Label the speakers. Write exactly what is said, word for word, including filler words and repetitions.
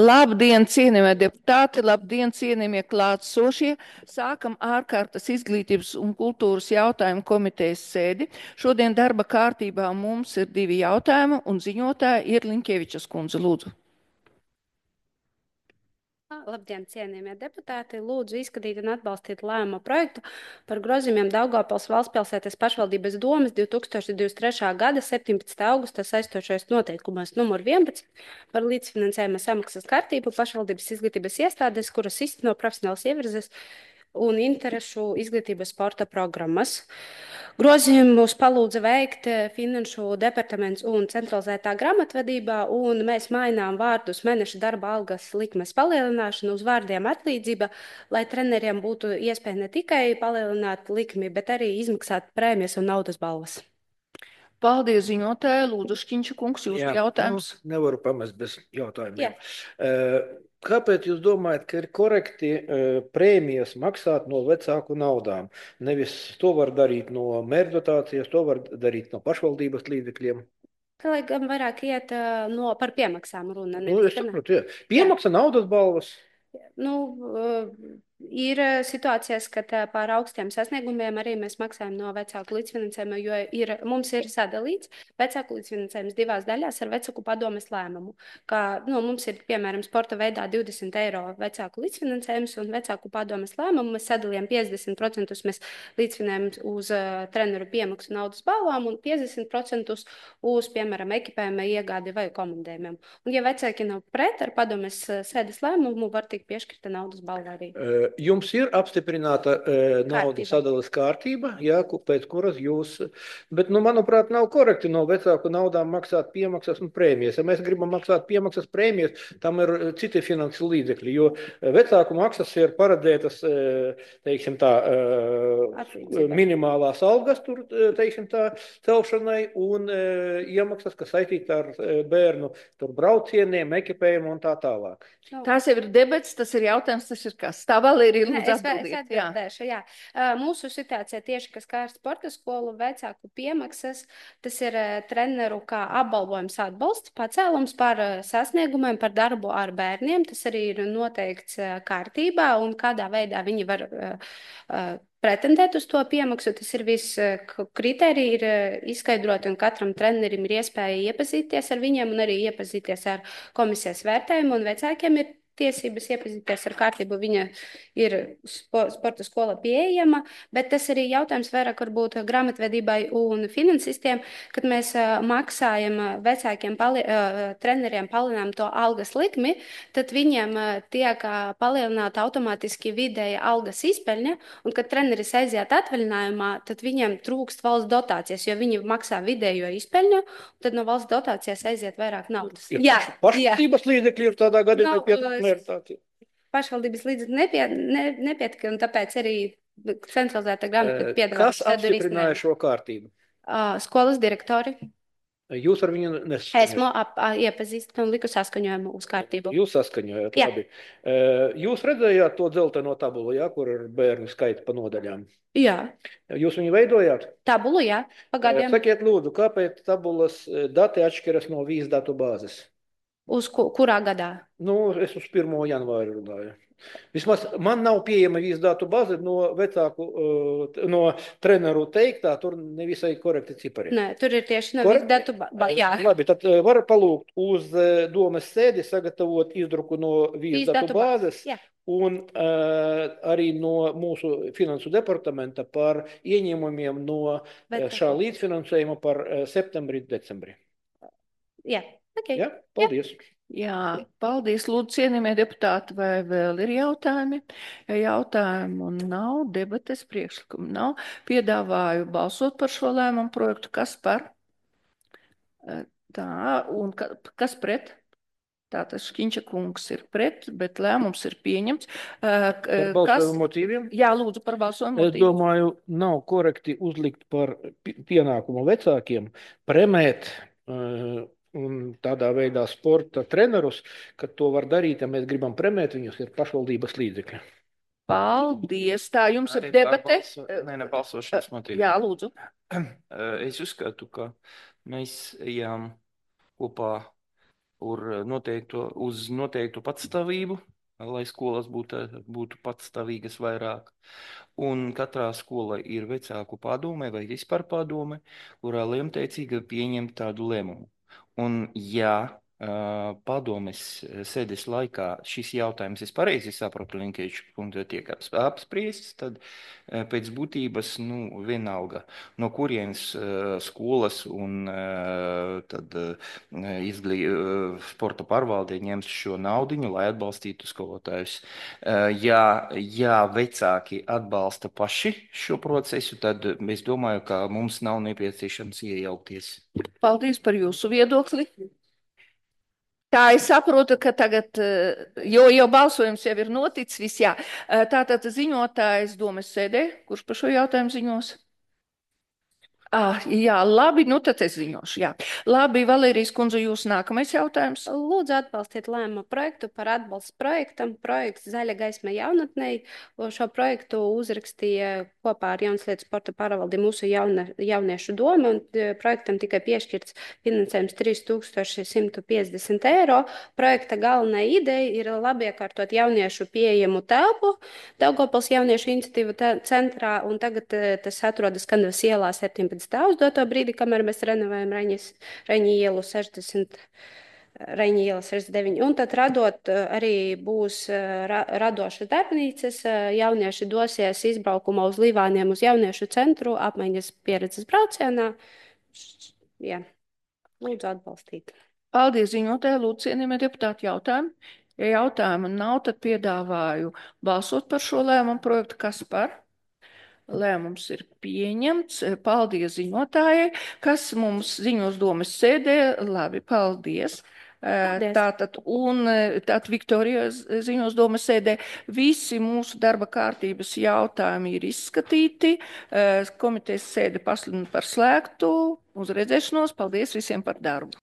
Speaker 1: Labdien, cienījamie deputāti, labdien, cienījamie klātsošie. Sākam ārkārtas izglītības un kultūras jautājumu komitejas sēdi. Šodien darba kārtībā mums ir divi jautājumi un ziņotāja ir Linkevičas kundze. Lūdzu.
Speaker 2: Labdien, cienījamie deputāti! Lūdzu izskatīt un atbalstīt lēmuma projektu par grozījumiem Daugavpils valstspilsētas pašvaldības domes divs tūkstoši divdesmit trešā gada septiņpadsmitā augusta saistošais noteikumos numur vienpadsmit par līdzfinansējuma samaksas kārtību pašvaldības izglītības iestādes, kuras izteno profesionāls ievirzes un interešu izglītības sporta programmas. Grozījumus palūdza veikt Finanšu departaments un centralizētā grāmatvedībā, un mēs mainām vārdus mēneša darba algas likmes palielināšanu uz vārdiem atlīdzība, lai treneriem būtu iespēja ne tikai palielināt likmi, bet arī izmaksāt prēmijas un naudas balvas.
Speaker 1: Paldies, ziņotāja. Lūdzu, Šķiņša kungs, jūsu
Speaker 3: Jā,
Speaker 1: jautājums.
Speaker 3: Nu, nevaru pamest bez jautājumiem.
Speaker 2: Jā.
Speaker 3: Uh, Kāpēc jūs domājat, ka ir korekti uh, prēmijas maksāt no vecāku naudām? Nevis to var darīt no mērķdotācijas, to var darīt no pašvaldības līdzekļiem.
Speaker 2: Tā lai gan vairāk iet uh, no, par piemaksām runa.
Speaker 3: Nu, es saprotu, jā. Piemaksa naudas balvas.
Speaker 2: Nu, uh, ir situācijas, kad uh, par augstiem sasniegumiem arī mēs maksājam no vecāku līdzfinansējuma, jo ir, mums ir sadalīts vecāku līdzfinansējums divās daļās ar vecāku padomes lēmumu. Kā, nu, mums ir, piemēram, sporta veidā divdesmit eiro vecāku līdzfinansējums un vecāku padomes lēmumu. Mēs sadalījām piecdesmit procentus mēs līdzfinējam uz uh, treneru piemaksu naudas balvām un piecdesmit procentus uz, piemēram, ekipējuma iegādi vai komandējumiem. Un, ja vecāki nav pret ar padomes sēdes lēmumu, var tikt piešķirta naudas balva arī.
Speaker 3: Jums ir apstiprināta naudas sadalas kārtība, jā, pēc kuras jūs, bet, nu, manuprāt, nav korekti no vecāku naudām maksāt piemaksas un prēmijas. Ja mēs gribam maksāt piemaksas prēmijas, tam ir citi finanses līdzekļi, jo vecāku maksas ir paredzētas, teiksim tā, Atlīdzība. Minimālās algas tur, teiksim tā, celšanai un iemaksas, kas saistīta ar bērnu tur braucieniem, ekipējumu un tā tālāk.
Speaker 1: Tās jau ir debats, tas ir jautājums, tas ir kas? Tā Valērija, lūdzu,
Speaker 2: es,
Speaker 1: atbildiet.
Speaker 2: Es atbildēšu, jā. jā. Mūsu situācija tieši, kas kā ar sporta skolu vecāku piemaksas, tas ir treneru kā apbalvojums atbalsts, pacēlums par sasniegumiem, par darbu ar bērniem. Tas arī ir noteikts kārtībā un kādā veidā viņi var uh, pretendēt uz to piemaksu. Tas ir viss kriteriji ir izskaidroti un katram trenerim ir iespēja iepazīties ar viņiem un arī iepazīties ar komisijas vērtējumu un vecākiem ir tiesības iepazīties ar kārtību, viņa ir spo, sporta skola pieejama, bet tas arī jautājums vairāk varbūt grāmatvedībai un finansistiem, kad mēs uh, maksājam vecākiem pali, uh, treneriem palielinām to algas likmi, tad viņiem uh, tiek uh, palielināta automātiski vidēja algas izpeļņa, un kad treneris aiziet atvaļinājumā, tad viņiem trūkst valsts dotācijas, jo viņi maksā vidējo izpeļņu, tad no valsts dotācijas aiziet vairāk naudas.
Speaker 3: Ir jā, pašvaldības līdzekļi ir tādā gadījumā no, pietiekami.
Speaker 2: Pašvaldības līdzekļi nepie, ne, nepietika, un tāpēc arī centralizēta grāmata piedāvā.
Speaker 3: Kas apstiprināja šo kārtību?
Speaker 2: Uh, skolas direktori.
Speaker 3: Jūs ar viņu nesaskaņojat?
Speaker 2: Esmu ap, iepazīstināta un liku saskaņojumu uz kārtību.
Speaker 3: Jūs saskaņojat, jā. Labi. Jūs redzējāt to dzelteno tabulu, jā, kur ir bērnu skaits pa nodaļām?
Speaker 2: Jā.
Speaker 3: Jūs viņu veidojāt?
Speaker 2: Tabulu, jā, pagadiem.
Speaker 3: Sakiet lūdzu, kāpēc tabulas dati atšķiras no vīz datu bāzes?
Speaker 2: Uz ku, kurā gadā?
Speaker 3: Nu, es uz pirmo janvāru runāju. Vismaz man nav pieejama vīzdatu bāze no vecāku, no treneru teiktā, tur nevisai korekti cipari.
Speaker 2: Nē, tur ir tieši no vīzdatu bāze, jā.
Speaker 3: Labi, tad var palūgt uz domes sēdi sagatavot izdruku no vīzdatu bāzes
Speaker 2: jā.
Speaker 3: Un uh, arī no mūsu finansu departamenta par ieņēmumiem no Bet, šā līdzfinansējuma par uh, septembri, decembri.
Speaker 2: Jā, ok.
Speaker 3: Ja? Paldies. Jā.
Speaker 1: Jā, paldies, lūdzu, cienījamie deputāti, vai vēl ir jautājumi? Ja jautājumu nav, debates priekšlikumu nav, piedāvāju balsot par šo lēmumu projektu. Kas par? Tā, un ka, kas pret? Tātad Šķiņša kungs ir pret, bet lēmums ir pieņemts.
Speaker 3: Par balsojumu motīviem?
Speaker 1: Jā, lūdzu, par balsojumu motīviem.
Speaker 3: Es domāju, nav korekti uzlikt par pienākumu vecākiem premēt uh, un tādā veidā sporta trenerus, kad to var darīt, ja mēs gribam premēt viņus, ir pašvaldības līdzekļi.
Speaker 1: Paldies, tā jums ir debate.
Speaker 4: Balso... Nē, ne balsošanas motīvi.
Speaker 1: Jā, lūdzu.
Speaker 4: Es uzskatu, ka mēs ejam kopā ur noteiktu, uz noteiktu patstāvību, lai skolas būtu, būtu patstāvīgas vairāk. Un katrā skolā ir vecāku padome vai vispār padome, kurā lemteicīgi pieņem tādu lēmumu. Un ja uh, padomes sēdes laikā šis jautājums, es pareizi sapratu, Linkēviča kundze, tiek apspriests, tad uh, pēc būtības, nu, vienalga, no kurienes uh, skolas un uh, tad uh, izglī, uh, sporta pārvalde ņems šo naudiņu, lai atbalstītu skolotājus. Uh, ja, ja vecāki atbalsta paši šo procesu, tad es domāju, ka mums nav nepieciešams iejaukties.
Speaker 1: Paldies par jūsu viedokli. Tā es saprotu, ka tagad, jo jau balsojums jau ir noticis, viss jā. Tātad ziņotājs domes sēdē, kurš par šo jautājumu ziņos? Ah, jā, labi, nu tad es ziņošu, jā. Labi, Valērijas kundze, jūs nākamais jautājums.
Speaker 2: Lūdzu atbalstīt lēmumu projektu par atbalstu projektam. Projekts Zaļa gaisma jaunatnei. Šo projektu uzrakstīja kopā ar Jaunas lietas sporta pārvaldi mūsu jauna, jauniešu doma, un projektam tikai piešķirts finansējums trīs tūkstoši simt piecdesmit eiro. Projekta galvenā ideja ir labi iekārtot jauniešu pieejamu telpu Daugavpils jauniešu iniciatīvu centrā, un tagad tas atrodas Kanavas ielā septiņpadsmit uz doto brīdi, kamēr mēs renovējam Reņas, Reņa ielu sešdesmit, Reņa iela sešdesmit deviņi. Un tad radot arī būs ra, radošas darbnīcas, jaunieši dosies izbraukumā uz Līvāniem uz jauniešu centru, apmaiņas pieredzes braucienā. Jā, lūdzu atbalstīt.
Speaker 1: Paldies, ziņotāji, lūdzu, cienījamie deputāti, jautājumu. Ja jautājumu nav, tad piedāvāju balsot par šo lēmumu projektu. Kas par? Lēmums ir pieņemts. Paldies ziņotājai, kas mums ziņos domes sēdē. Labi, paldies. Paldies. Tātad, un tātad Viktorija ziņos domes sēdē visi mūsu darba kārtības jautājumi ir izskatīti. Komitejas sēde pasludina par slēgtu. Uz redzēšanos. Paldies visiem par darbu.